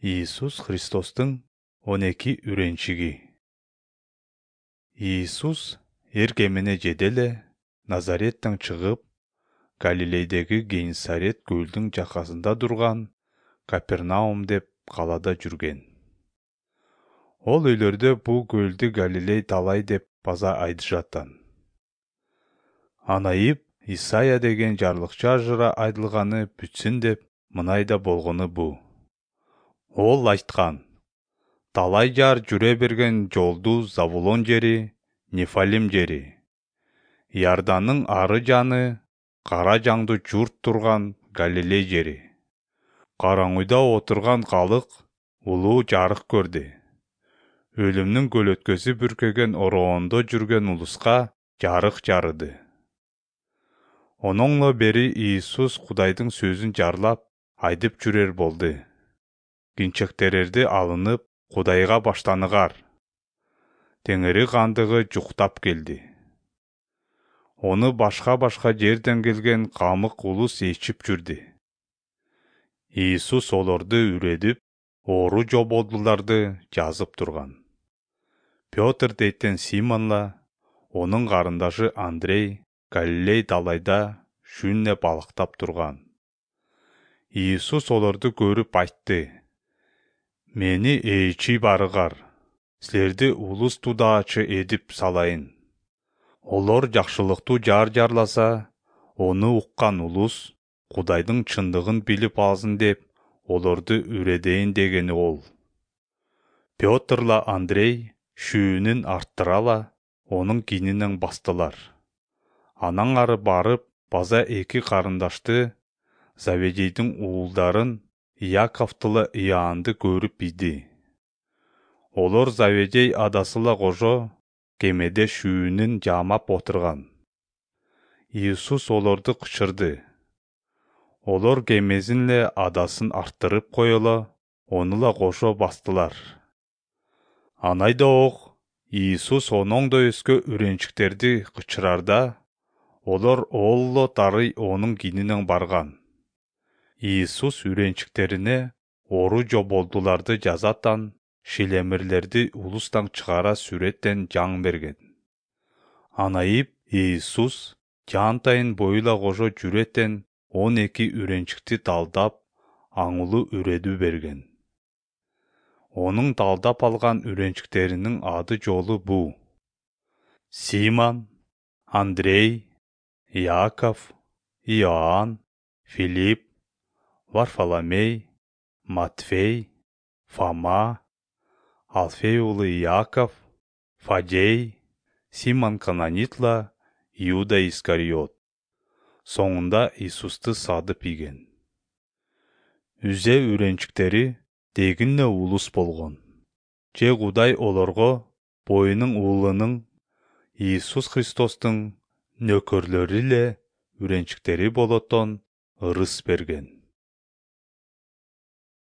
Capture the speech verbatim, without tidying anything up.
Иисус Христостун он эки үренчиги. Иисус эр кемине жеде эле Назареттен чыгып, Галилейдеги Генесарет көлдүн жакасында турган Капернаум деп калада жүрген. Ол үйлөрдө бул көлдү Галилей талай деп база айтышаттан. Анайып Исайя деген жарлыкча ажыра айтылганы бүтсүн деп мынайда болгону бу. Ол айткан: талай жар жүрө берген жолду Завулон жери, Нефалим жери, Иордандын ары жаны, кара жаңдуу журт турган Галилей жери. Караңгыда отурган калык улуу жарык көрдү. Өлүмдүн көлөткөсү бүркөгөн ороондо жүргөн улуска жарык жарыды. Ононло бери Иисус Кудайдын сөзүн жарлап айтып жүрөр болду. Кинчектерерди алынып, Кудайга баштаныгар. Теңири кандыгы жуктап келди. Ону башка-башка жерден келген камык улус ичип жүрдү. Иисус олорду үредип, оору жоболдуларды жазып турган. Пётр дейтен Симонла, онун карындашы Андрей Галилей далайда шүнне балыктап турган. Иисус олорду көрүп айтты: мени ээчи барыгар, силерди улус тудаачы эдип салайын. Олор жакшылыктуу жар жарласа, ону уккан улус Кудайдын чындыгын билип алсын деп олорду үредейин дегени ол. Пётрла Андрей шүүнүн арттырала, онун кининен бастылар. Анан ары барып, база эки карындашты, Заведейдин уулдарын, Иаковтула Иоаннды көрүп иди. Олор Заведей адасыла кожо кемеде шүүнүн жаамап отурган. Иисус олорду кычырды. Олор кемесин эле адасын арттырып коело, онула кошо бастылар. Анайда-ок Иисус оноңдо өскө үренчиктерди кычырарда, олор оолло тарый онун кининен барган. Иисус үренчиктерине оору жоболдуларды жазаттан, шилемирлерди улустан чыгара сүрөттен жаң берген. Анайып Иисус жаантайын боюла кожо жүрөттен он эки үренчикти талдап, аңылуу үредүү берген. Онун талдап алган үренчиктеринин ады жолу бу: Симон, Андрей, Иаков, Иоанн, Филипп, Варфоломей, Матфей, Фома, Алфей уулу Иаков, Фадей, Симон Кананитла, Иуда Искариот. Соңунда Иисусту сатып ийген. Үзе үренчиктери дегин эле улус болгон. Же Кудай олорго боюнун уулунун Иисус Христостун нөкөрлөрү эле үренчиктери болоттон ырыс берген.